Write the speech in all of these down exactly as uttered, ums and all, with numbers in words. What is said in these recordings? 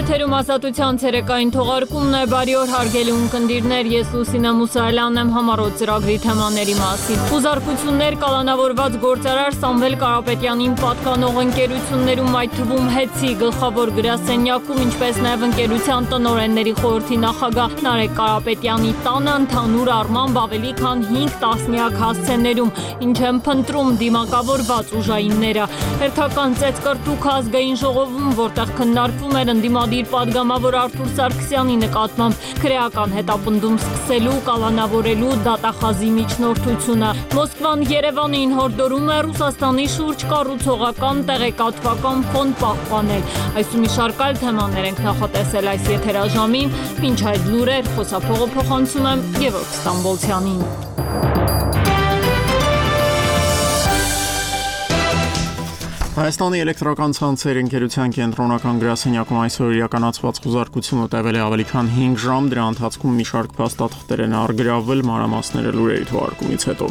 Եթերում ազատության ցերեկային թողարկումն է, բարի օր հարգելի ունկնդիրներ, ես Լուսինե Մուսայելյանն եմ համառոտ ծրագրի թեմաների մասին։ Խուզարկություններ կալանավորված գործարար Սամվել Կարապետյանին պատկանող ընկերություններում, այդ թվում Հեցի գլխավոր գրասենյակում, ինչպես նաև ընկերության տնօրենների խորհրդի նախագահ Նարեկ Կարապետյանի տանը ընդհանուր առմամբ ավելի քան հինգ տասնյակ հասցեներում, ինչ են փնտրում դիմակավորված ուժայինները։ Հերթական ծեծկռտուք ազգային ժողովում, որտեղ քննարկվում էր ընդդիմադիր պատգամավոր Արթուր Սարգսյանի նկատմամբ քրեական հետապնդում սկսելու, կալանավորելու դատախազի միջնորդությունը։ Մոսկվան Երևանին հորդորում է Ռուսաստանի շուրջ կառուցողական տեղեկատվական ֆոն պահպանել։ Այս ու մի շարք այլ թեմաներ ենք նախատեսել այս եթերաժամին, մինչ այդ լուրեր խոսափողը փոխանցում եմ Գևորգ Ստամբոլցյանին։ Հայաստանի էլեկտրական ցանցեր ընկերության կենտրոնական գրասենյակում այսօր իրականացված խուզարկությունը տևել է ավելի քան հինգ ժամ, դրա ընթացքում մի շարք փաստաթղթեր են առգրավվել, մանրամասները լուրերի թողարկումից հետո։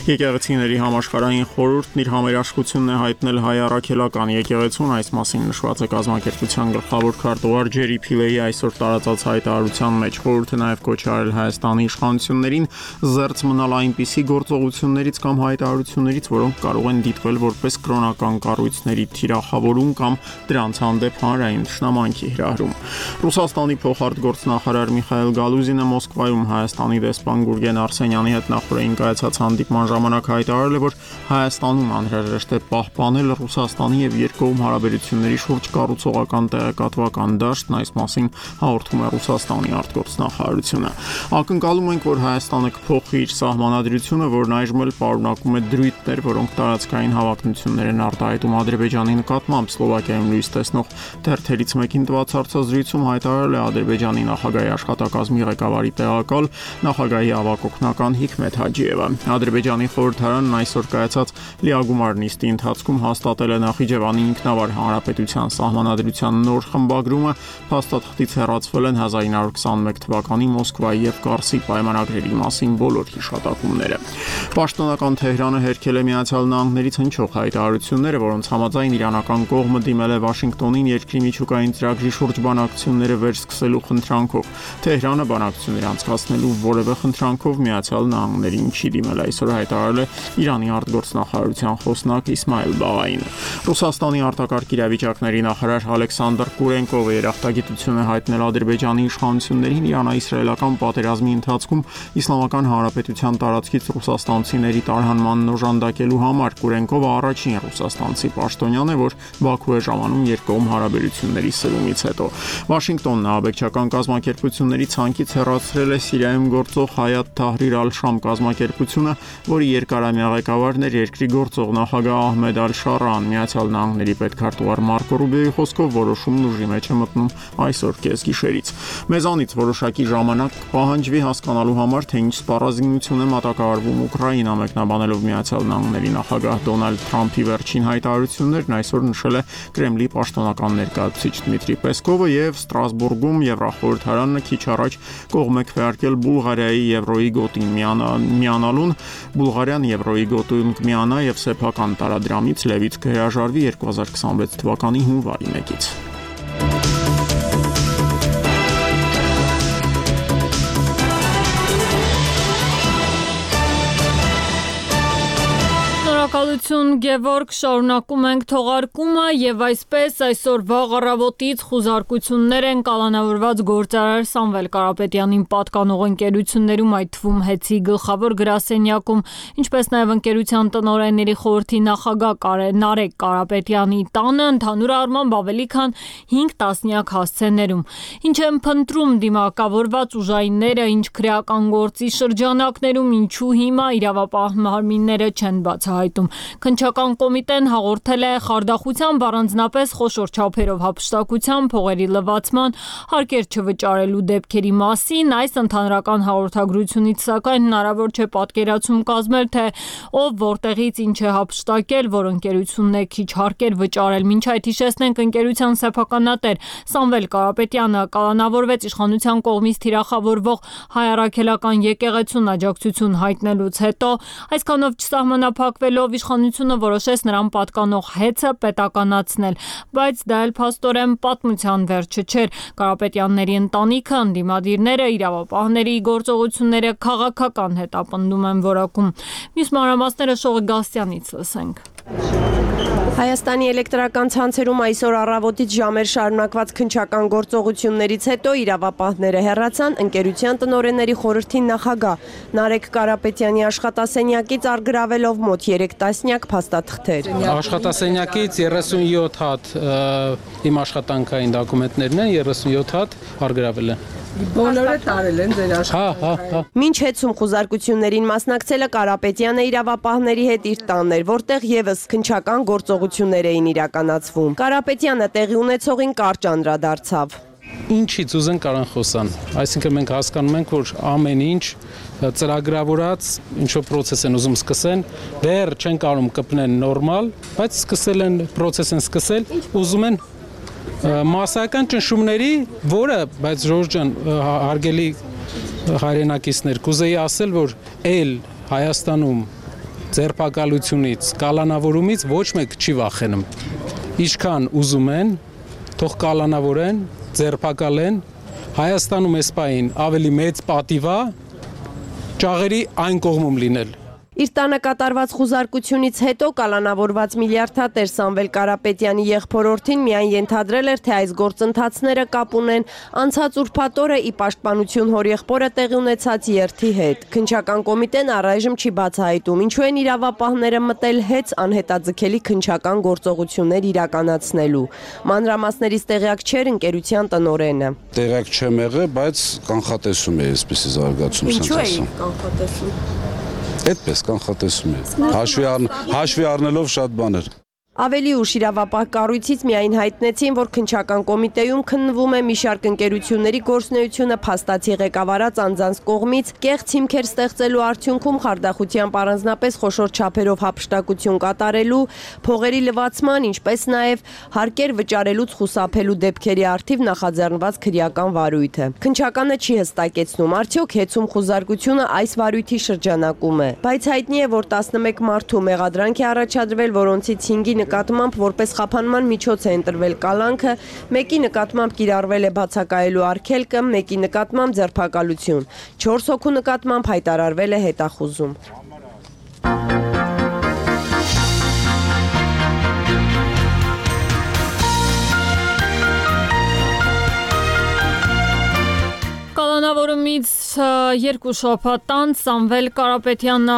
Եկեղեցիների համաշխարհային խորհուրդն իր համերաշխությունն է հայտնել հայ առաքելական եկեղեցուն, այս մասին նշված է կազմակերպության գլխավոր քարտուղար Ջերի Փիլեի այսօր տարածած հայտարարության մեջ։ Խորհուրդը նաև կոչ է արել Հայաստանի իշխանություններին զերծ մնալ այնպիսի գործողություններից կամ հայտարարություններից, որոնք կարող են դիտվել որպես կրոնական կառույցների թիրախավորում կամ դրանց հանդեպ հանրային թշնամանքի հրահրում։ Ռուսաստանի փոխարտգործնախարար Միխայել Գալուզինը Մոսկվայում Հայաստանի դեսպան Գուրգեն Արսենյանի հետ նախորդին կայացած հանդիպման ժամանակ հայտարարել է, որ Հայաստանում անհրաժեշտ է պահպանել Ռուսաստանի եւ երկկողմ հարաբերությունների շուրջ կառուցողական տեղեկատվական դաշտն, այս մասին հաղորդում է Ռուսաստանի արտգործնախարարությունը։ Ակնկալում ենք, որ Հայաստանը կփոխի իր սահմանադրությունը, որն այժմ էլ պարունակում է դրույթներ, որոնք տարածքային հավակնություններ են արտահայտում Ադրբեջանի նկատմամբ։ Սլովակիայում լույս տեսնող թերթերից մեկին տված հարցազրույցում հայտարարել է Ադրբեջանի նախագահի աշխատակազմի ղեկավարի տեղակալ, նախագահի ավագ օգնական Հիկմետ Հաջիևը։ Ադրբեջանի խորհրդարանն այսօր կայացած լիագումար նիստի ընթացքում հաստատել է Նախիջևանի ինքնավար հանրապետության սահմանադրության նոր խմբագրումը, փաստաթղթից հեռացվել են հազար ինը հարյուր քսանմեկ թվականի Մոսկվայի եւ Կարսի պայմանագրերի մասին բոլոր հիշատակումները։ Պաշտոնական Թեհրանը հերքել է Միացյալ Նահանգներից հնչող հայտարարությունները, որոնց համաձայն իրանական կողմը դիմել է Վաշինգտոնին երկրի միջուկային ծրագրի շուրջ բանակցությունները վերսկսելու խնդրանքով։ Թեհրանը բանակցություններ անցկացնելու որևէ խնդրանքով Միացյալ Նահանգներին չի դիմել, այսօր հայտարարել է Իրանի արտգործնախարարության խոսնակ Իսմայել Բաղային։ Ռուսաստանի արտակարգ իրավիճակների նախարար Ալեքսանդր Կուրենկովը երախտագիտություն է հայտնել Ադրբեջանի իշխանություններին իրանա-իսրայելական պատերազմի ընթացքում Իսլամական Հանրապետության տարածքից ռուսաստանցիների տարհանմանն օժանդակելու համար։ Կուրենկովը առաջին ռուսաստանցի պաշտոնյան է, որ Բաքու է ժամանում երկկողմ հարաբերությունների սրումից հետո։ Վաշինգտոնն ահաբեկչական կազմակերպությունների ցանկից հեռացրել է Սիրիայում գործող Հայաթ Թահրիր ալ-Շամ կազմակերպությունը, որի երկարամյա ղեկավարն էր երկրի գործող նախագահ Ահմեդ Ալ-Շարան։ Միացյալ Նահանգների պետքարտուղար Մարկո Ռուբիոյի խոսքով որոշումն ուժի մեջ է մտնում այսօր կեսգիշերից։ Մեզանից որոշակի ժամանակ կպահանջվի հասկանալու համար, թե ինչ սպառազինություն է մատակարարվում Ուկրաինա, մեկնաբանելով Միացյալ Նահանգների նախագահ Դոնալդ Թրամփի վերջին հայտարարություններն այսօր նշել է Կրեմլի պաշտոնական ներկայացուցիչ Դմիտրի Պեսկովը եւ Ստրասբուրգում Եվրախորհրդարանը քիչ առաջ կողմ է քվեարկել Բուլղարիայի Եվրոյի գոտին միանալուն։ Բուլղարիան Եվրոյի գոտում կմիանա եւ սեփական տարադրամից լևից կհրաժարվի երկու հազար քսանվեց թվականի հունվարի մեկից։ Շնորհակալություն Գևորգ, շարունակում ենք թողարկումը եւ այսպես այսօր վաղ առավոտից խուզարկություններ են կալանավորված գործարար Սամվել Կարապետյանին պատկանող ընկերություններում, այդ թվում Հեցի գլխավոր գրասենյակում, ինչպես նաեւ ընկերության տնօրենների խորհրդի նախագահ Նարեկ Կարապետյանի տանը ընդհանուր առմամբ ավելի քան հինգ տասնյակ հասցեներում։ Ինչ են փնտրում դիմակավորված ուժայինները, ինչ քրեական գործի շրջանակներում, ինչու հիմա իրավապահ մարմինները չեն բացահայտում։ Քննչական կոմիտեն հաղորդել է խարդախությամբ առանձնապես խոշոր չափերով հափշտակության, փողերի լվացման, հարկեր չվճարելու դեպքերի մասին։ Այս ընդհանրական հաղորդագրությունից սակայն հնարավոր չէ պատկերացում կազմել, թե ով որտեղից ինչ է հափշտակել, որ ընկերությունն է քիչ հարկեր վճարել։ Մինչ այդ հիշեցնենք, ընկերության սեփականատեր Սամվել Կարապետյանը կալանավորվեց իշխանության կողմից թիրախավորվող հայ առաքելական եկեղեցուն աջակցություն հայտնելուց հետո, այսքանով չսահմանափակվելով հետևելով իշխանությունը որոշեց նրան պատկանող հեծը պետականացնել, բայց դա էլ փաստորեն պատմության վերջը չէր։ Կարապետյանների ընտանիքը, ընդդիմադիրները, իրավապահների գործողությունները քաղաքական հետապնդում են որակում։ Մյուս մանրամասները Շողի Գասյանից լսենք։ Հայաստանի էլեկտրական ցանցերում այսօր առավոտից ժամեր շարունակված քննչական գործողություններից հետո իրավապահները հեռացան ընկերության տնօրենների խորհրդի նախագահ Նարեկ Կարապետյանի աշխատասենյակից առգրավելով մոտ երեք տասնյակ փաստաթղթեր։ Աշխատասենյակից երեսունյոթ հատ իմ աշխատանքային դոկումենտներն են, երեսունյոթ հատ առգրավել են։ Բոլորը տարել են ձեր աշխատանքային։ Մինչ հեծում խուզարկություններին մասնակցելը Կարապետյանը իրավապահների հետ իր տանն էր, որտեղ եւս քննչական գործողություններ էին իրականացվում։ Կարապետյանը տեղի ունեցողին կարճ անդրադարձավ։ Ինչից ուզեն կարան խոսան։ Այսինքն մենք հասկանում ենք, որ ամեն ինչ ծրագրավորած ինչ-որ process են ուզում սկսեն, դեռ չեն կարող կպնեն նորմալ, բայց սկսել են process են սկսել, ուզում են մասսայական ճնշումների, որը, բայց Ժորժ ջան, հարգելի հայրենակիցներ, կուզեի ասել, որ էլ Հայաստանում ձերբակալությունից, կալանավորումից ոչ մեկ չի վախենում։ Ինչքան ուզում են, թող կալանավորեն, ձերբակալեն, Հայաստանում այս պահին ավելի մեծ պատիվ է ճաղերի այն կողմում լինել։ Իր տանը կատարված խուզարկությունից հետո կալանավորված միլիարդատեր Սամվել Կարապետյանի եղբորորդին միայն ենթադրել էր, թե այս գործընթացները կապ ունեն անցած ուրբաթ օրը ի պաշտպանություն հորեղբորը տեղի ունեցած երթի հետ։ Քննչական կոմիտեն առայժմ չի բացահայտում, ինչու են իրավապահները մտել հեծ անհետաձգելի քննչական գործողություններ իրականացնելու։ Մանրամասներից տեղյակ չէր ընկերության տնօրենը։ Տեղյակ չեմ եղել, բայց կանխատեսում է այսպիսի զարգացում։ Ինչու է կանխատեսում։ Այդպես կանխատեսում է։ Հաշվի առնելով շատ բաներ։ Ավելի ուշ իրավապահ կառույցից միայն հայտնեցին, որ քննչական կոմիտեում քննվում է մի շարք ընկերությունների գործունեությունը փաստացի ղեկավարած անձանց կողմից կեղծ հիմքեր ստեղծելու արդյունքում խարդախությամբ առանձնապես խոշոր չափերով հափշտակություն կատարելու, փողերի լվացման, ինչպես նաև հարկեր վճարելուց խուսափելու դեպքերի առթիվ նախաձեռնված քրեական վարույթ է։ Քննչականը չի հստակեցնում, արդյոք հեծում խուզարկությունը այս վարույթի շրջանակում է, բայց հայտնի է, որ տասնմեկ մարդու մեղադրանք է առաջադրվել, որոնցից հինգի նկատմամբ որպես խափանման միջոց է ընտրվել կալանքը, մեկի նկատմամբ կիրառվել է բացակայելու արգելքը, մեկի նկատմամբ ձերբակալություն, չորս հոգու նկատմամբ հայտարարվել է հետախուզում։ Կալանավորումից երկու շաբաթ անց Սամվել Կարապետյանը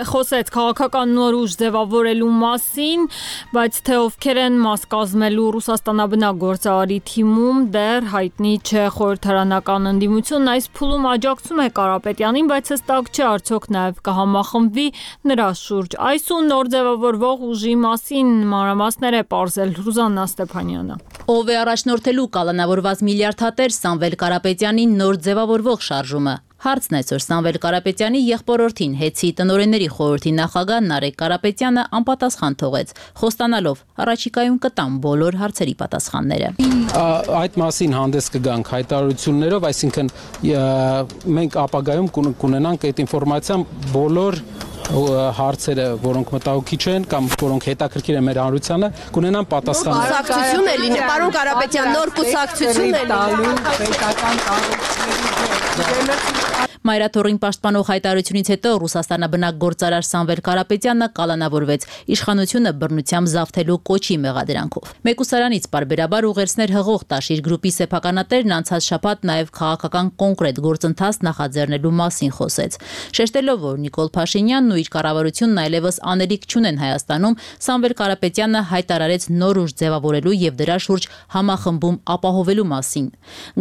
խոսեց քաղաքական նոր ուժ ձևավորելու մասին, բայց թե ովքեր են մաս կազմելու Ռուսաստանաբնակ գործարարի թիմում դեռ հայտնի չէ։ Խորհրդարանական ընդդիմությունն այս փուլում աջակցում է Կարապետյանին, բայց հստակ չէ արդյոք նաև կհամախմբվի նրա շուրջ։ Այս ու նոր ձևավորվող ուժի մասին մանրամասներ է պարզել Ռուզաննա Ստեփանյանը։ Ով է առաջնորդելու կալանավորված միլիարդատեր Սամվել Կարապետյանի նոր ձևավորվող շարժումը։ Հարցն այսօր Սամվել Կարապետյանի եղբորորդին հեծի տնօրենների խորհրդի նախագահ Նարեկ Կարապետյանը անպատասխան թողեց, խոստանալով առաջիկայում կտան բոլոր հարցերի պատասխանները։ Այդ մասին հանդես կգանք հայտարարություններով, այսինքն մենք ապագայում կունենանք այդ ինֆորմացիան բոլոր հարցերը, որոնք մտահոգիչ են կամ որոնք հետաքրքիր են մեր հանրությանը, կունենան պատասխան։ Կուսակցություն է լինի, պարոն Կարապետյան, նոր կուսակցություն է լինի։ Պետական կառույցների Մայրաթորին պաշտպանող հայտարարությունից հետո Ռուսաստանաբնակ գործարար Սամվել Կարապետյանը կալանավորվեց իշխանությունը բռնությամբ զավթելու կոչի մեղադրանքով։ Մեկուսարանից պարբերաբար ուղերձներ հղող Տաշիր գրուպի սեփականատերն անցած շաբաթ նաև քաղաքական կոնկրետ գործընթաց նախաձեռնելու մասին խոսեց։ Շեշտելով, որ Նիկոլ Փաշինյանն ու իր կառավարությունն այլևս անելիք չունեն Հայաստանում, Սամվել Կարապետյանը հայտարարեց նոր ուժ ձևավորելու եւ դրա շուրջ համախմբում ապահովելու մասին։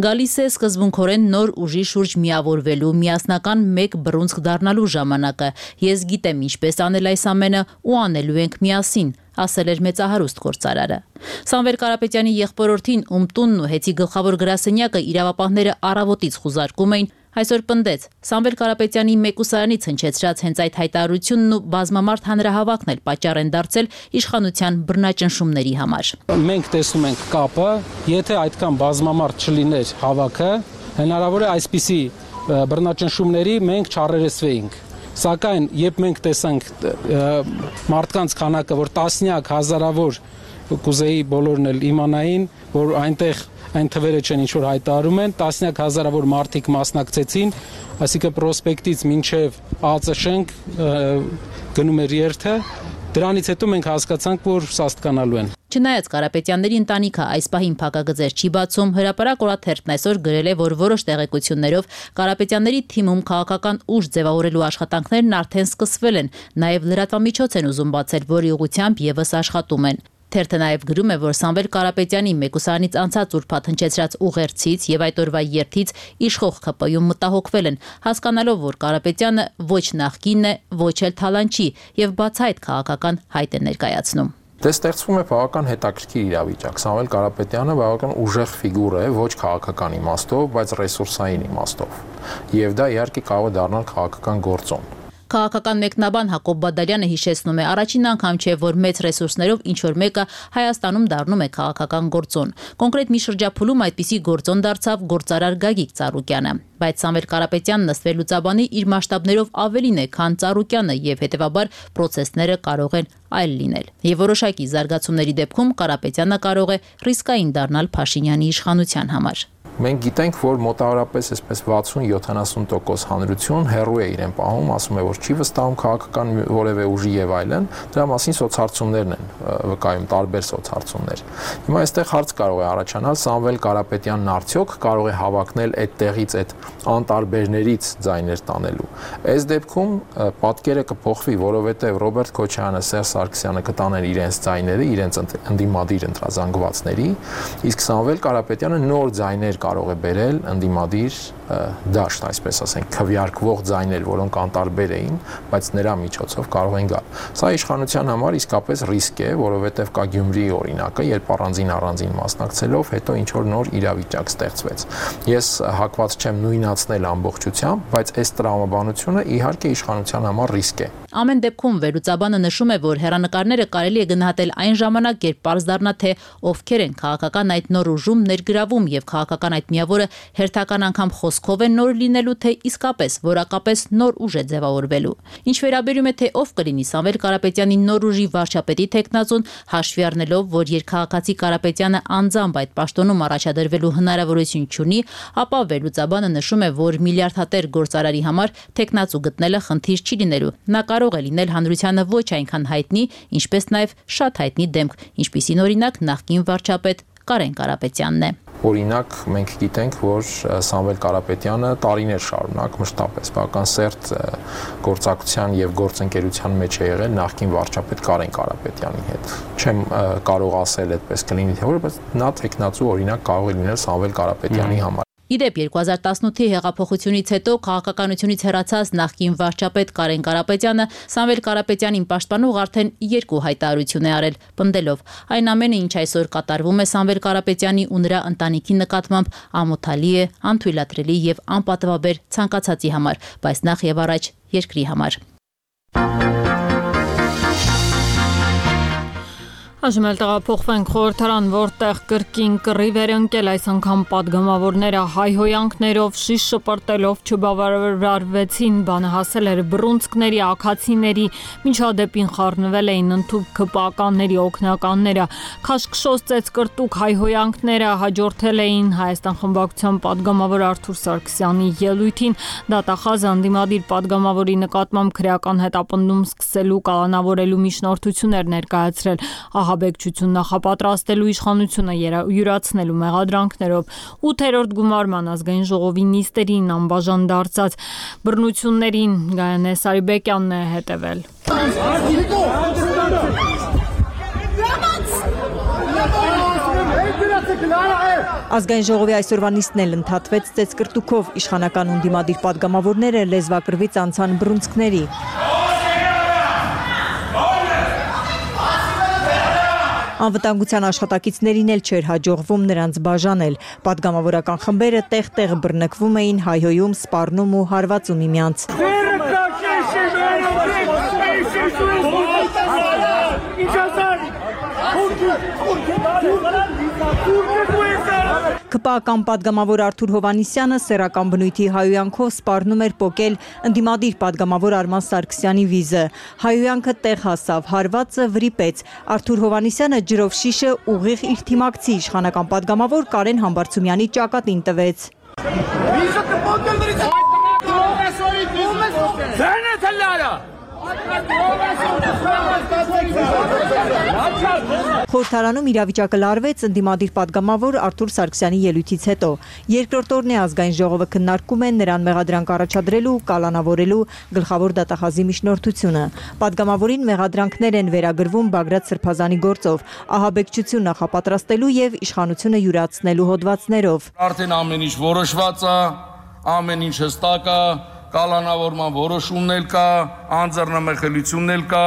Գալիս է սկզբունքորեն նոր ուժի շուրջ միավորվելու միասնական մեկ բռունցք դառնալու ժամանակը։ Ես գիտեմ ինչպես անել այս ամենը ու անելու ենք միասին, ասել էր մեծահարուստ գործարարը։ Սամվել Կարապետյանի եղբորորդին, ում տունն ու հեծի գլխավոր գրասենյակը իրավապահները առավոտից խուզարկում էին, այսօր պնդեց Սամվել Կարապետյանի մեկուսարանից հնչեցրած հենց այդ հայտարարությունն ու բազմամարդ հանրահավաքն էլ պատճառ են դարձել իշխանության բռնաճնշումների համար։ Մենք տեսնում ենք կապը, եթե այդքան բազմամարդ չլիներ հավաքը, հնարավոր է այսպիսի բռնաճնշումների մենք չառերեսվեինք։ Սակայն երբ մենք տեսանք մարդկանց քանակը, որ տասնյակ հազարավոր կուզեի բոլորն էլ իմանային, որ այնտեղ այն թվերը չեն ինչ որ հայտարարում են, տասնյակ հազարավոր մարդիկ մասնակցեցին, այսինքն պրոսպեկտից մինչև ԱԾՇ գնում էր երթը, դրանից հետո մենք հասկացանք, որ սաստկանալու են։ Չնայած Կարապետյանների ընտանիքը այս պահին փակագծեր չի բացում, հրապարակ օրաթերթն այսօր գրել է, որ որոշ տեղեկություններով Կարապետյանների թիմում քաղաքական ուժ ձևավորելու աշխատանքներն արդեն սկսվել են, նաև լրատվամիջոց են ուզում բացել, որի ուղղությամբ եւս աշխատում են։ Թերթը նաև գրում է, որ Սամվել Կարապետյանի մեկուսարանից անցած ուրբաթ հնչեցրած ուղերձից եւ այդ օրվա երթից իշխող ՔՊ-ում մտահոգվել են, հասկանալով, որ Կարապետյանը ոչ նախկինն է, ոչ էլ թալանչի եւ բացահայտ քաղաքական հայտ է ներկայացնում։ Դե ստեղծվում է բավական հետաքրքիր իրավիճակ։ Սամվել Կարապետյանը բավական ուժեղ ֆիգուր է, ոչ քաղաքական իմաստով, բայց ռեսուրսային իմաստով։ Եվ դա իհարկե կարող է դառնալ քաղաքական գործոն։ Քաղաքական մեկնաբան Հակոբ Բադալյանը հիշեցնում է, առաջին անգամ չէ, որ մեծ ռեսուրսներով ինչ-որ մեկը Հայաստանում դառնում է քաղաքական գործոն։ Կոնկրետ մի շրջափուլում այդպիսի գործոն դարձավ գործարար Գագիկ Ծառուկյանը, բայց Սամվել Կարապետյանն ըստ վերլուծաբանի իր մասշտաբներով ավելին է, քան Ծառուկյանը եւ հետեւաբար պրոցեսները կարող են այլ լինել։ Եվ որոշակի զարգացումների դեպքում Կարապետյանը կարող է ռիսկային դառնալ Փաշինյանի իշխանության համար։ Մենք գիտենք, որ մոտավորապես այսպես վաթսուն-յոթանասուն տոկոս հանրություն հեռու է իրեն պահում, ասում է, որ չի վստահում քաղաքական որևէ ուժի եւ այլն, դրա մասին սոցհարցումներն են վկայում, տարբեր սոցհարցումներ։ Հիմա այստեղ հարց կարող է առաջանալ, Սամվել Կարապետյանն արդյոք կարող է հավակնել այդ տեղից, այդ անտարբերներից ձայներ տանելու։ Այս դեպքում պատկերը կփոխվի, որովհետեւ Ռոբերտ Քոչարյանը, Սերժ Սարգսյանը կտանեն իրենց ձայները, իրենց ընդդիմադիր ընտրազանգվածների, իսկ Սամվել Կարապետյանը նոր ձայներ կարող է բերել ընդդիմադիր դաշտ, այսպես ասենք, քվեարկվող ձայներ, որոնք անտարբեր էին, բայց նրա միջոցով կարող են գալ։ Սա իշխանության համար իսկապես ռիսկ է, որովհետև կա Գյումրիի օրինակը, երբ առանձին առանձին մասնակցելով հետո ինչ որ նոր իրավիճակ ստեղծվեց։ Ես հակված չեմ նույնացնել ամբողջությամբ, բայց այս տրամաբանությունը իհարկե իշխանության համար ռիսկ է։ Ամեն դեպքում վերլուծաբանը նշում է, որ հեռանկարները կարելի է գնահատել այն ժամանակ, երբ պարզ դառնա, թե ովքեր են քաղաքական այդ նոր ուժում ներգրավում եւ քաղաքական այդ միավորը հերթական անգամ խոսքով են նոր լինելու, թե իսկապես որակապես նոր ուժ է ձևավորվելու։ Ինչ վերաբերում է, թե ով կլինի Սամվել Կարապետյանի նոր ուժի վարչապետի տեխնացուն, հաշվի առնելով, որ երկքաղաքացի Կարապետյանը անձամբ այդ պաշտոնում առաջադրվելու հնարավորություն չունի, ապա վերլուծաբանը նշում է, որ միլիարդատեր գործարարի համար տեխնացու գտնելը խնդիր չի լինելու։ Նա կարող է լինել հանրությանը ոչ այնքան հայտնի, ինչպես նաև շատ հայտնի դեմք, ինչպիսին օրինակ նախկին վարչապետ Կարեն Կարապետյանն է։ Օրինակ, մենք գիտենք, որ Սամվել Կարապետյանը տարիներ շարունակ մշտապես բավական սերտ գործակցության եւ գործընկերության մեջ է եղել նախկին վարչապետ Կարեն Կարապետյանի հետ։ Չեմ կարող ասել այդպես կլինի թե որ, բայց նա տեխնացու օրինակ կարող է լինել Սամվել Կարապետյանի համար։ Իդեպ երկու հազար տասնութի հեղափոխությունից հետո քաղաքականությունից հեռացած նախկին վարչապետ Կարեն Կարապետյանը Սամվել Կարապետյանին պաշտպանող արդեն երկու հայտարարություն է արել, պնդելով. այն ամենը, ինչ այսօր կատարվում է Սամվել Կարապետյանի ու նրա ընտանիքի նկատմամբ, ամոթալի է, անթույլատրելի եւ անպատվաբեր ցանկացածի համար, բայց նախ եւ առաջ երկրի համար։ Այժմ էլ տեղափոխվենք խորհրդարան, որտեղ կրկին կռիվ էր ընկել, այս անգամ պատգամավորները հայհոյանքներով, շիշ շպրտելով չբավարարվեցին, բանը հասել էր բռունցքների, աքացիների, միջադեպին խառնվել էին ընդհուպ ՔՊԱ-կանների օգնականները, քաշքշոց ծեծկրտուկ հայհոյանքները հաջորդել էին Հայաստան խմբակցության պատգամավոր Արթուր Սարգսյանի ելույթին, դատախազը ընդդիմադիր պատգամավորի նկատմամբ քրեական հետապնդում սկսելու կալանավորելու միջնորդություններ ներկայացրել, ահաբեկչություն նախապատրաստելու իշխանությունը յուրացնելու մեղադրանքներով, ութերորդ գումարման ազգային ժողովի նիստերին անբաժան դարձած բռնություններին Գայանե Սարիբեկյանն է հետևել։ Ազգային ժողովի այսօրվա նիստն էլ ընդհատվեց ծեծկրտուկով, իշխանական ու ընդդիմադիր պատգամավորները լեզվակռվից անցան բռունցքների։ Անվտանգության աշխատակիցներին էլ չէր հաջողվում նրանց բաժանել։ Պատգամավորական խմբերը տեղ-տեղ բռնկվում էին, հայհոյում, սպառնում ու հարվածում միմյանց։ Քպական падգամավոր Արթուր Հովհաննիսյանը սեռական բնույթի հայհոյանքով սպառնում էր պոկել ընդդիմադիր падգամավոր Արման Սարգսյանի վիզը։ Հայհոյանքը տեղ հասավ, հարվածը վրիպեց։ Արթուր Հովհաննիսյանը ջրով շիշը ուղիղ իր թիմակցի իշխանական падգամավոր Կարեն Համբարձումյանի ճակատին տվեց։ Խորհրդարանում իրավիճակը լարվեց ընդդիմադիր падգամավոր Արթուր Սարգսյանի ելույթից հետո։ Երկրորդ օրն է ազգային ժողովը քննարկում է նրան մեղադրանք առաջադրելու, կալանավորելու գլխավոր դատախազի միջնորդությունը։ Падգամավորին մեղադրանքներ են վերագրվում Բագրատ Սրբազանի գործով, ահաբեկչություն նախապատրաստելու եւ իշխանությունը յուրացնելու հոդվածներով։ Արդեն ամեն ինչ որոշված է, ամեն ինչ հստակ է, կալանավորման որոշումն էլ կա, անձեռնամխելիությունն էլ կա։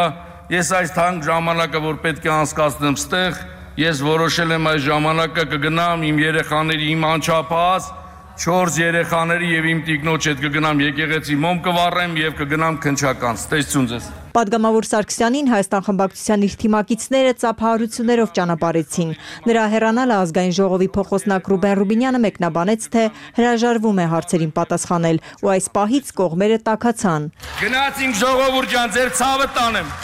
Ես այս թանկ ժամանակը, որ պետք է անցկացնեմ ստեղ, ես որոշել եմ այս ժամանակը կգնամ իմ երեխաների, իմ անչափահաս չորս երեխաների եւ իմ տիկնոջ հետ կգնամ եկեղեցի մոմ կվառեմ եւ կգնամ քնչական։ Ստեսություն ձեզ։ Падգամավոր Սարգսյանին Հայաստան խմբակցության իր թիմակիցները ծափահարություններով ճանապարհեցին։ Նրա հեռանալը ազգային ժողովի փոխոսնակ Ռուբեն Ռուբինյանը մեկնաբանեց, թե հրաժարվում է հարցերին պատասխանել, ու այս պահից կողմերը տաքացան։ Գնացինք ժողովուրդ ջան, ձեր ցավը տանեմ։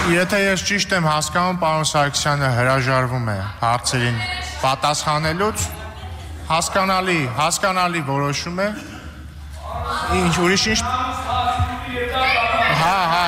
Եթե ես ճիշտ եմ հասկանում, պարոն Սարգսյանը հրաժարվում է հարցերին պատասխանելուց, հասկանալի, հասկանալի որոշում է։ Ինչ ուրիշ ինչ։ Հա, հա,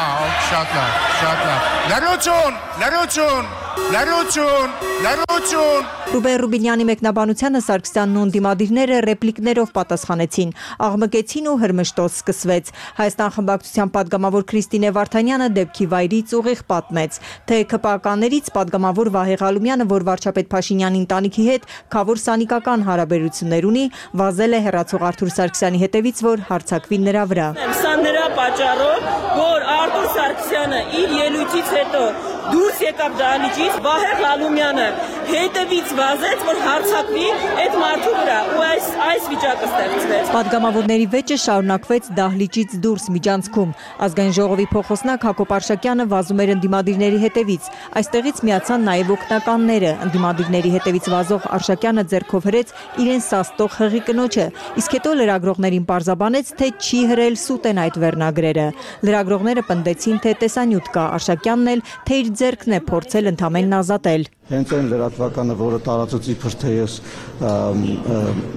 շատ լավ, շատ լավ։ Լրություն, լրություն, լրություն, լրություն։ Ռուբեն Ռուբինյանի մեկնաբանությանը Սարգսյանն ու ընդդիմադիրները ռեպլիկներով պատասխանեցին, աղմկեցին ու հրմշտոց սկսվեց։ Հայաստան խմբակցության падգամավոր Քրիստինե Վարդանյանը դեպքի վայրից ուղիղ պատմեց, թե ԿՊԱ-ականներից падգամավոր Վահե Ղալումյանը, որ վարչապետ Փաշինյանի ընտանիքի հետ քավոր սանիկական հարաբերություններ ունի, վազել է հեռացող Արթուր Սարգսյանի հետևից, որ հարձակվի նրա վրա։ Սա նրա պատճառով, որ Արթուր Սարգսյանը իր ելույթից հետո դուրս եկավ դահլիճից, Վահե Ղալումյանը հետևից վազեց, որ հարձակվի այդ մարդու վրա, ու այս այս վիճակը ստեղծվեց։ Падգամավորների վեճը շարունակվեց դահլիճից դուրս միջանցքում։ Ազգային ժողովի փոխոսնակ Հակոբ Արշակյանը վազում էր ընդդիմադիրների հետևից։ Այստեղից միացան նաև օգնականները։ Ընդդիմադիրների հետևից վազող Արշակյանը ձեռքով հրեց իրեն սաստող հղի կնոջը, իսկ հետո լրագրողներին պարզաբանեց, թե չի հրել սուտ են այդ վերնագրերը։ Լրագրողները պնդեցին, թե տեսանյութ կա, Արշակյանն էլ, թե իր ձեռքն է փորձել ընդամենն ազատել։ Հենց այն լրատվականը, որը տարածեց իբր թե ես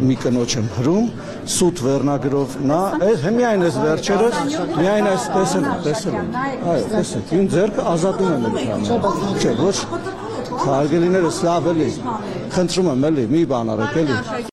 մի կնոջ եմ հրում, սուտ վերնագրով, նա միայն այս վերջերս, միայն այս տեսել եմ, տեսել եմ, այո, տեսեք, իմ ձեռքը ազատում եմ ընդհանրապես, չէ, ոչ, հարգելիներս լավ էլի, խնդրում եմ էլի, մի բան արեք էլի։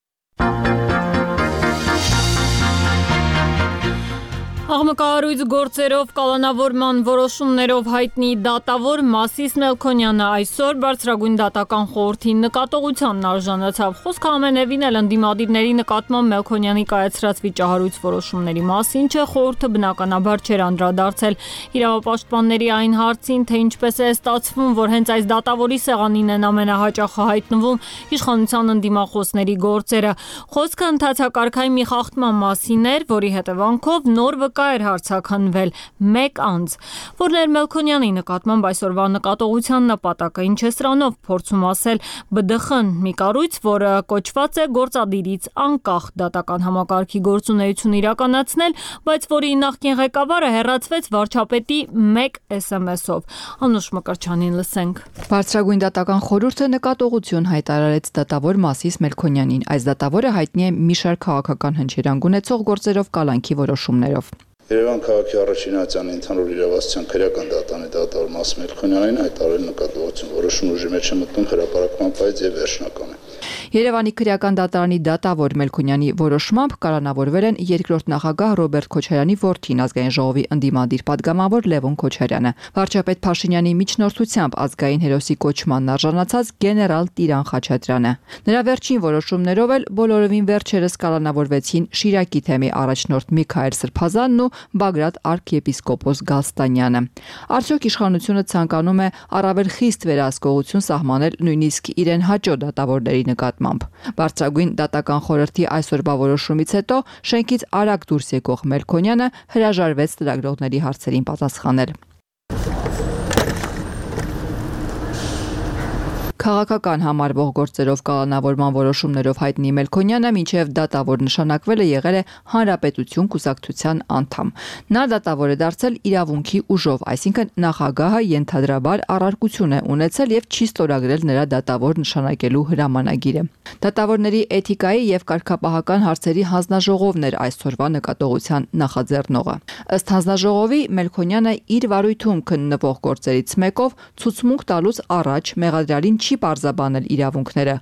Աղմկահարույց գործերով կալանավորման որոշումներով հայտնի դատավոր Մասիս Մելքոնյանը այսօր բարձրագույն դատական խորհրդի նկատողությանն արժանացավ։ Խոսքը ամենևին էլ ընդդիմադիրների նկատմամբ Մելքոնյանի կայացրած վիճահարույց որոշումների մասին չէ, խորհուրդը բնականաբար չէր անդրադարձել իրավապաշտպանների այն հարցին, թե ինչպես է ստացվում, որ հենց այս դատավորի սեղանին են ամենահաճախը հայտնվում իշխանության ընդդիմախոսների գործերը։ Խոսքը ընթացակարգային մի խախտման մասին էր, որի հետևանքով նոր վկա էր հարցաքննվել մեկ անձ, որն էր Մելքոնյանի նկատմամբ այսօրվա նկատողության նպատակը, ինչ է սրանով փորձում ասել Բ Դ Խ-ն, մի կառույց, որը կոչված է գործադիրից անկախ դատական համակարգի գործունեություն իրականացնել, բայց որի նախկին ղեկավարը հեռացվեց վարչապետի մեկ էս էմ էսով։ Անուշ Մկրտչյանին լսենք։ Բարձրագույն դատական խորհուրդը նկատողություն հայտարարեց դատավոր Մասիս Մելքոնյանին։ Այս դատավորը հայտնի է մի շարք քաղաքական հնչերանգ ունեցող գործերով կալանքի որոշումներով։ Երևան քաղաքի առաջին ատյանի ընդհանուր իրավասության քրեական դատանի դատավոր Մաս Մելքոնյանին հայտարարել նկատողություն որոշում ուժի մեջ է մտնում հրապարակման պայծ եւ վերջնական է։ Երևանի քրեական դատարանի դատավոր Մելքոնյանի որոշմամբ կալանավորվել են երկրորդ նախագահ Ռոբերտ Քոչարյանի որդին, ազգային ժողովի ընդդիմադիր падգամավոր Լևոն Քոչարյանը, վարչապետ Փաշինյանի միջնորդությամբ ազգային հերոսի կոչմանն արժանացած գեներալ Տիրան Խաչատրյանը։ Նրա վերջին որոշումներով էլ բոլորովին վերջերս կալանավորվեցին Շիրակի թեմի առաջնորդ Միքայել Սրբազանն ու Բագրատ arczepiskopos Գալստանյանը։ Արդյոք իշխանությունը ցանկանում է առավել խիստ վերահսկողություն սահմանել նույնիսկ իրեն հաճո դատավորների նկատմամբ։ Բարձրագույն դատական խորհրդի այսօրվա որոշումից հետո շենքից արագ դուրս եկող Մելքոնյանը հրաժարվեց լրագրողների հարցերին պատասխանել։ Քաղաքական համարվող գործերով կալանավորման որոշումներով հայտնի Մելքոնյանը մինչև դատավոր նշանակվել է եղել է Հանրապետություն կուսակցության անդամ։ Նա դատավոր է դարձել իրավունքի ուժով, այսինքն նախագահը ենթադրաբար առարկություն է ունեցել եւ չի ստորագրել նրա դատավոր նշանակելու հրամանագիրը։ Դատավորների էթիկայի եւ կարգապահական հարցերի հանձնաժողովն էր այսօրվա նկատողության նախաձեռնողը։ Ըստ հանձնաժողովի Մելքոնյանը իր վարույթում քննվող գործերից մեկով ցուցմունք տալուց առաջ մեղադրյալին չի պարզաբանել իրավունքները,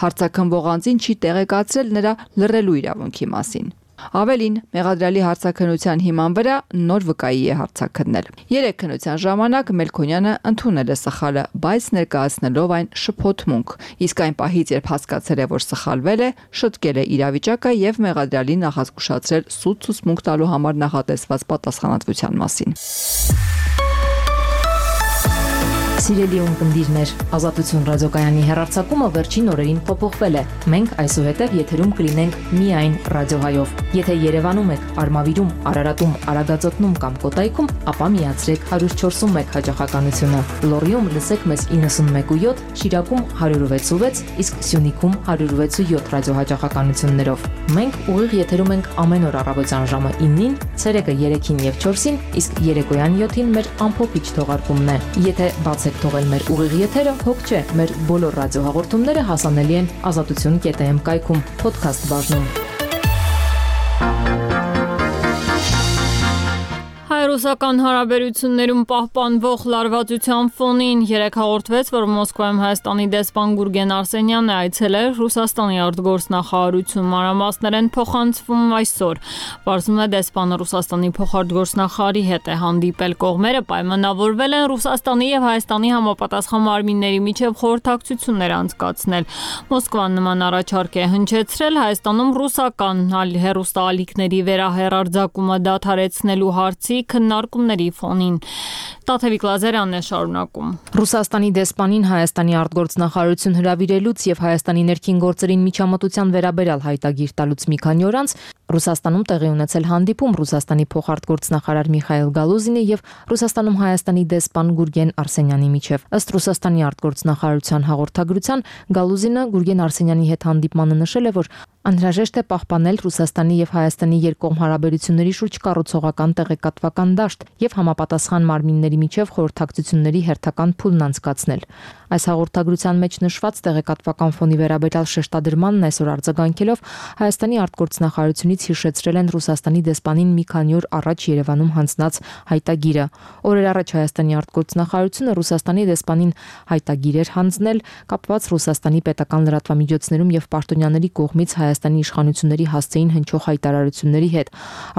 հարցաքննվող անձին չի տեղեկացրել նրա լռելու իրավունքի մասին։ Ավելին, մեղադրյալի հարցաքննության հիման վրա նոր վկայի է հարցաքննել։ Երեք քննության ժամանակ Մելքոնյանը ընդունել է սխալը, բայց ներկայացնելով այն շփոթմունք, իսկ այն պահից, երբ հասկացել է, որ սխալվել է, շտկել է իրավիճակը եւ մեղադրյալին նախազգուշացրել սուտ ցուցմունք տալու համար նախատեսված պատասխանատվության մասին։ Սիրելի ունկնդիրներ, Ազատություն ռադիոկայանի հեռարձակումը վերջին օրերին փոփոխվել է։ Մենք այսուհետև եթերում կլինենք միայն ռադիոհայով։ Եթե Երևանում եք, Արմավիրում, Արարատում, Արագածոտնում կամ Կոտայքում, ապա միացրեք one oh four one հաճախականությունը։ Լոռիում լսեք մեզ ninety-one point seven, Շիրակում one oh six point six, իսկ Սյունիքում one oh six point seven ռադիոհաճախականություններով։ Մենք ուղիղ եթերում ենք ամեն օր առավոտյան ժամը nine-ին, ցերեկը three-ին եւ four-ին, իսկ երեկոյան seven-ին մեր ամփոփիչ թողարկումն է։ Եթե բաց թողել մեր ուղիղ եթերը, հոգ չէ, մեր բոլոր ռադիոհաղորդումները հասանելի են ազատություն կետ am կայքում, podcast բաժնում։ Հայ-ռուսական հարաբերություններում պահպանվող լարվածության ֆոնին երեկ հաղորդվեց, որ Մոսկվայում Հայաստանի դեսպան Գուրգեն Արսենյանն այցելել Ռուսաստանի արտգործնախարարություն, մանրամասներ են փոխանցվում այսօր։ Պարզվում է դեսպանը Ռուսաստանի փոխարտգործնախարարի հետ է հանդիպել, կողմերը պայմանավորվել են Ռուսաստանի եւ Հայաստանի համապատասխան մարմինների միջև խորհրդակցություններ անցկացնել։ Մոսկվան նման առաջարկ է հնչեցրել Հայաստանում ռուսական հեռուստաալիքների վերահեռարձակումը դադարեցնելու հարցի քննարկումների ֆոնին։ Տաթևիկ Լազարյանն է շարունակում։ Ռուսաստանի դեսպանին Հայաստանի արտգործնախարարություն հրավիրելուց եւ Հայաստանի ներքին գործերին միջամտության վերաբերյալ հայտագիր տալուց մի քանի օր անց Ռուսաստանում տեղի ունեցել հանդիպում Ռուսաստանի փոխարտգործնախարար Միխայել Գալուզինի եւ Ռուսաստանում Հայաստանի դեսպան Գուրգեն Արսենյանի միջև։ Ըստ Ռուսաստանի արտգործնախարարության հաղորդագրության Գալուզինը Գուրգեն Արսենյանի հետ հանդիպմանը նշել է, որ անհրաժեշտ է պահպանել Ռուսաստանի եւ Հայաստանի երկկողմ հարաբերությունների շուրջ կառուցողական տեղեկատվական դաշտ եւ համապատասխան մարմինների միջև խորհրդակցությունների հերթական փուլն անցկացնել։ Այս հաղորդագրության մեջ նշված տեղեկատվական ֆոնի վերաբերյալ շեշտադրմանն այսօր արձագանքելով Հայաստանի արտգործնախարարությունից հիշեցրել են Ռուսաստանի դեսպանին մի քանի օր առաջ Երևանում հանձնած հայտագիրը։ Օրեր առաջ Հայաստանի արտգործնախարարությունը Ռուսաստանի դեսպանին հայտագիր էր հանձնել կապված Ռուսաստանի պետական լրատվամիջոցներում եւ պաշտոնյաների կողմից Հայաստանի իշխանությունների հասցեին հնչող հայտարարությունների հետ։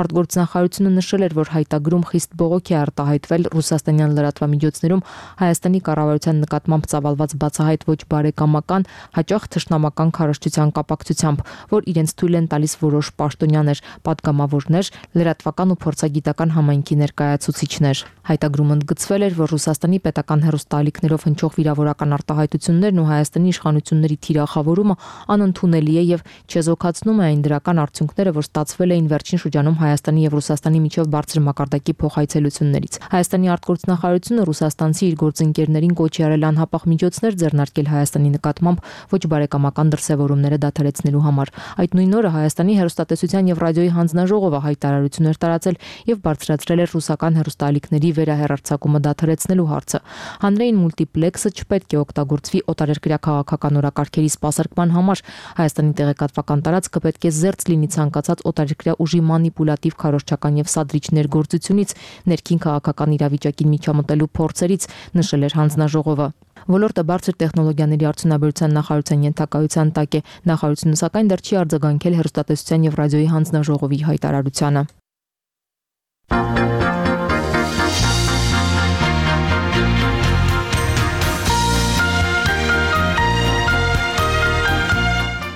Արտգործնախարարությունը նշել էր, որ հայտագրում խիստ բողոք է արտահայտվել ռուսաստանյան լրատվամիջոցներում Հայաստանի կառավարության նկատմամբ ծավալված բացահայտ ոչ բարեկամական, հաճախ թշնամական քարոզչության կապակցությամբ, որ իրենց թույլ են տալիս որոշ պաշտոնյաներ, պատգամավորներ, լրատվական ու փորձագիտական համայնքի ներկայացուցիչներ։ Հայտագրում ընդգծվել էր, որ Ռուսաստանի պետական հեռուստաալիքներով հնչող վիրավորական արտահայտություններն ու Հայաստանի իշխանությունների թիրախավորումը անընդունելի է եւ չեզոքացնում է այն դրական արդյունքները, որ ստացվել էին վերջին շրջանում Հայաստանի եւ Ռուսաստանի միջև բարձր մակարդակի փոխայցելություններից։ Հայաստանի արտգործնախարարությունը ռուսաստանցի իր գործընկերներին կոչ է արել անհապաղ միջոցներ ձեռնարկել Հայաստանի նկատմամբ ոչ բարեկամական դրսևորումները դադարեցնելու համար։ Այդ նույն օրը Հայաստանի հեռուստատեսության եւ ռադիոյի հանձնաժողովը հայտարարություն էր տարածել եւ բարձրացրել էր ռուսական հեռուստաալիքների վերահեռարձակումը դադարեցնելու հարցը։ Հանրային մուլտիպլեքսը չպետք է օգտագործվի օտարերկրյա քաղաքական օրակարգերի սպասարկման համար։ Հայաստանի տեղեկատվական տարածքը պետք է զերծ լինի ցանկացած օտարերկրյա ուժի մանիպուլատիվ քարոզչական եւ սադրիչ ներգործությունից, ներքին քաղաքական իրավիճակին միջամտելու փորձերից, նշել էր հանձնաժողովը։ Ոլորտը բարձր տեխնոլոգիաների արդյունաբերության նախարարության ենթակայության տակ է։ Նախարարությունը սակայն դեռ չի արձագանքել հեռուստատեսության եւ ռադիոյի հանձնաժողովի հայտարարությանը։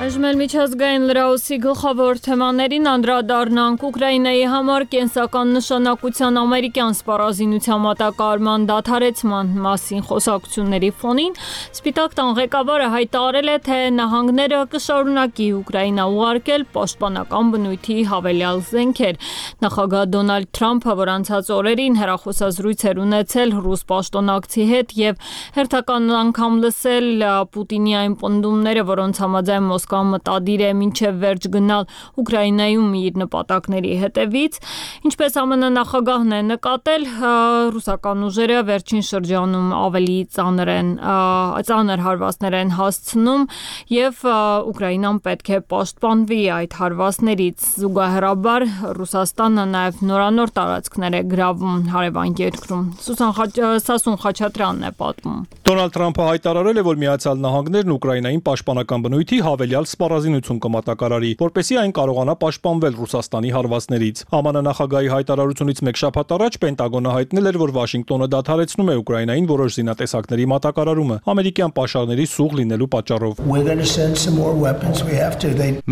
Այժմ էլ մի Միջազգային լրահոսի գլխավոր թեմաներին անդրադառնանք Ուկրաինայի համար կենսական նշանակության ամերիկյան սպառազինության մատակարարման դադարեցման մասին խոսակցությունների ֆոնին Սպիտակ տան ղեկավարը հայտարարել է, թե նահանգները կշարունակի Ուկրաինա ուղարկել պաշտպանական բնույթի հավելյալ զենքեր։ Նախագահ Դոնալդ Թրամփը, որ անցած օրերին հեռախոսազրույց էր ունեցել ռուս պաշտոնակցի հետ եւ հերթական անգամ լսել Պուտինի այն պնդումները, որոնց համաձայն Մոսկվան մտադիր է մինչև վերջ գնալ Ուկրաինայում իր նպատակների հետևից, ինչպես ԱՄՆ նախագահն է նկատել, ռուսական ուժերը վերջին շրջանում ավելի ծանր են ծանր հարվածներ են հասցնում եւ Ուկրաինան պետք է պաշտպանվի այդ հարվածներից։ Զուգահեռաբար Ռուսաստանը նաեւ նորանոր տարածքներ է գրավում հարևան երկրում։ Սասուն Խաչատրյանն է պատմում։ Դոնալդ Թրամփը հայտարարել է, որ Միացյալ Նահանգներն Ուկրաինային պաշտպանական բնույթի հավելյալ սպառազինություն կմատակարարի, որպեսզի այն կարողանա պաշտպանվել Ռուսաստանի հարվածներից։ ԱՄՆ նախագահի հայտարարությունից մեկ շաբաթ առաջ Պենտագոնը հայտնել էր, որ Վաշինգտոնը դադարեցնում է Ուկրաինային որոշ զինատեսակների մատակարարումը ամերիկյան պաշարների սուղ լինելու պատճառով։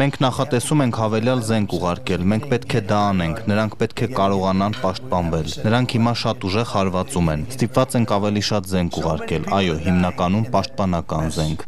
Մենք նախատեսում ենք հավելյալ զենք ուղարկել, մենք պետք է դա անենք, նրանք պետք է կարողանան պաշտպանվել։ Նրանք հիմա շատ ուժեղ հարվածում են։ Ստիպված ենք ավելի շատ զենք ուղարկել, այո, հիմնականում պաշտպանական զենք։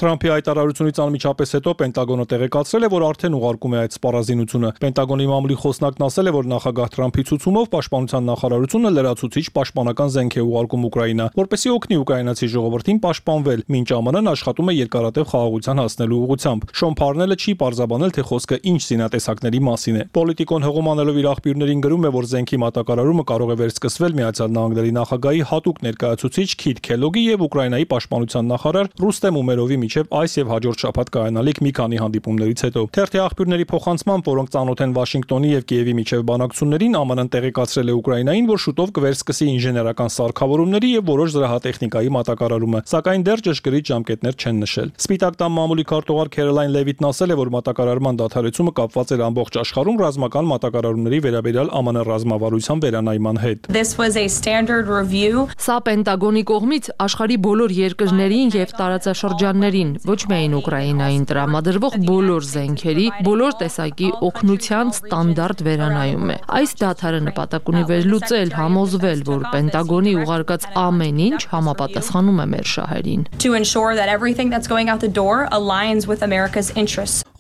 Թրամփի հայտարարությունից անմիջապես հետո Պենտագոնը տեղեկացրել է, որ արդեն ուղարկում է այդ սպառազինությունը։ Պենտագոնի մամուլի խոսնակն ասել է, որ նախագահ Թրամփի ցուցումով պաշտպանության նախարարությունը լրացուցիչ պաշտպանական զենք է ուղարկում Ուկրաինա, որպեսզի օգնի ուկրաինացի ժողովրդին պաշտպանվել, մինչ ԱՄՆ-ն աշխատում է երկարատև խաղաղության հասնելու ուղղությամբ։ Շոն Փարնելը չի պարզաբանել, թե խոսքը ինչ զինատեսակների մասին է։ Պոլիտիկոն հղում անելով իր աղբյուրներին գրում է, որ զենքի մատակարարումը կարող է վերսկսվել Միացյալ Նահանգների նախագահի հատուկ ներկայացուցիչ Քիթ Քելոգի եւ Ուկրաինայի պաշտպանության նախարար Ռուստեմ Ումերովի միջև այս եւ հաջորդ շաբաթ կայանալիք մի քանի հանդիպումներից հետո։ Թերթի աղբյուրների փոխանցմամբ, որոնք ծանոթ են Վաշինգտոնի եւ Կիևի միջև բանակցություններին, ԱՄՆ-ն տեղեկացրել է Ուկրաինային, որ շուտով կվերսկսի ինժեներական սարքավորումների եւ որոշ զրահատեխնիկայի մատակարարումը, սակայն դեռ ճշգրիտ ժամկետներ չեն նշել։ Սպիտակ տան մամուլի քարտուղար Քերոլայն Լևիտն ասել է, որ մատակարարման դադարեցումը կապված էր ամբողջ աշխարհում ռազմական մատակարարումների վերաբերյալ ԱՄՆ ռազմավարության վերանայման հետ։ Սա Պենտագոնի կողմից աշխարհի բոլոր երկրներին եւ տարածաշրջաններին, ոչ միայն Ուկրաինային տրամադրվող բոլոր զենքերի, բոլոր տեսակի օգնության ստանդարտ վերանայում է։ Այս դադարը նպատակ ունի վերլուծել, համոզվել, որ Պենտագոնի ուղարկած ամեն ինչ համապատասխանում է մեր շահերին։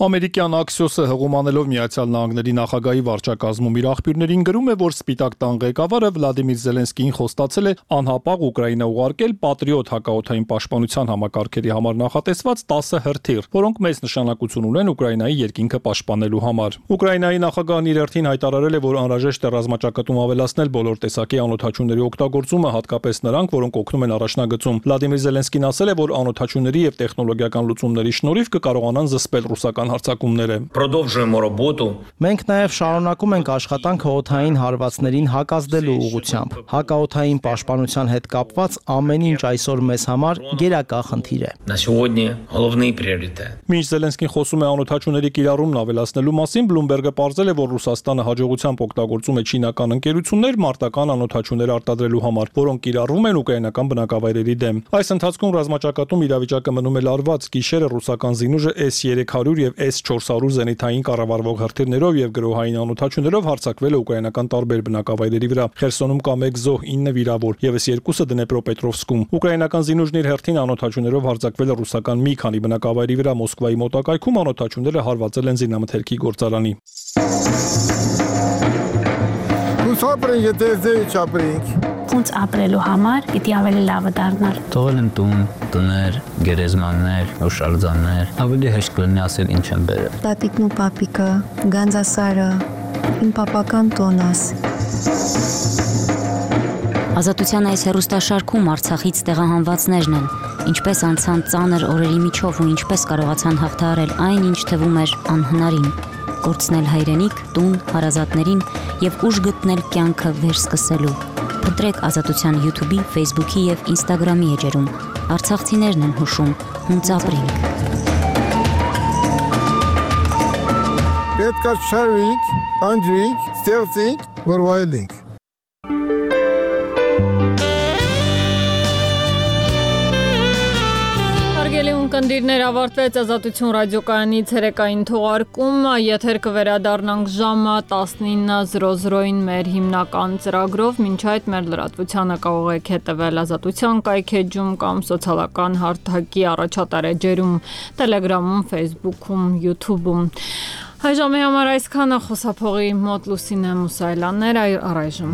Ամերիկյան Axios-ը հղում անելով Միացյալ Նահանգների նախագահի վարչակազմում իր աղբյուրներին գրում է, որ Սպիտակ տան ղեկավարը Վլադիմիր Զելենսկիին խոստացել է անհապաղ Ուկրաինա ուղարկել Պատրիոտ հակաօդային պաշտպանության համակարգերի համար նախատեսված տասը հրթիռ, որոնք մեծ նշանակություն ունեն Ուկրաինայի երկինքը պաշտպանելու համար։ Ուկրաինայի նախագահն իր հերթին հայտարարել է, որ անհրաժեշտ է ռազմաճակատում ավելացնել բոլոր տեսակի անօդաչուների օգտագործումը, հատկապես նրանք, որոնք օգնում են առաջնագծում։ Վլադիմիր Զելենսկին ասել է, որ անօդաչուների եւ տեխնոլոգիական լուծումների շնորհիվ կկարողանան զսպել ռուսական հարձակումները։ Մենք նաև շարունակում ենք աշխատանքը օդային հարվածներին հակազդելու ուղղությամբ։ Հակաօդային պաշտպանության հետ կապված ամեն ինչ այսօր մեզ համար գերակա խնդիր է։ Մինչ Զելենսկին խոսում է անօդաչուների կիրառումն ավելացնելու մասին, Բլումբերգը պարզել է, որ Ռուսաստանը հաջողությամբ օգտագործում է չինական ընկերություններ մարտական անօդաչուներ արտադրելու համար, որոնք կիրառվում են ուկրաինական բնակավայրերի դեմ։ Այս ընթացքում ռազմաճակատում իրավիճակը մնում է լարված։ Գիշերը ռուսական զինուժը S երեք հարյուր եւ S չորս հարյուր զենիթային կառավարվող հրթիռներով եւ գրոհային անօդաչուներով հարձակվել է ուկրաինական տարբեր բնակավայրերի վրա։ Խերսոնում կա մեկ զոհ, ինը վիրավոր, եւս երկուսը Դնեպրոպետրովսկում։ Ուկրաինական զինուժն իր հերթին անօդաչուներով հարձակվել է ռուսական մի քանի բնակավայրի վրա Մոսկվայի մոտակայքում, անօդաչուները հարվածել են զինամթերքի գործարանի։ Ոնց ապրելու համար պիտի ավելի լավը դառնալ։ Թողել են տուն, տներ, գերեզմաններ, հուշարձաններ, ավելի հեշտ կլինի ասել ինչ են բերել։ Տատիկն ու պապիկը, Գանձասարը, իմ պապական տոնաս։ Ազատության այս հեռուստաշարքում Արցախից տեղահանվածներն են, ինչպես անցան ծանր օրերի միջով ու ինչպես կարողացան հաղթահարել այն, ինչ թվում էր անհնարին, կորցնել հայրենիք, տուն, հարազատներին եւ ուժ գտնել կյանքը վերսկսելու։ Փնտրեք Ազատության YouTube-ի, Facebook-ի եւ Instagram-ի էջերում։ Արցախցիներն են հուշում, հունց ապրենք։ Պետք է շարվենք, անջրենք, ստեղծենք, որ վայելենք։ Ունկնդիրներ ավարտվեց Ազատություն ռադիոկայանի ցերեկային թողարկումը, եթեր կվերադառնանք ժամը տասնինը զրո զրոին մեր հիմնական ծրագրով, մինչ այդ մեր լրատվությանը կարող եք հետևել Ազատության կայքեջում կամ սոցիալական հարթակի առաջատար էջերում, Telegram-ում, Facebook-ում, YouTube-ում։ Այժմի համար այսքանը, խոսափողի մոտ Լուսինե Մուսայելյաններ, առայժմ։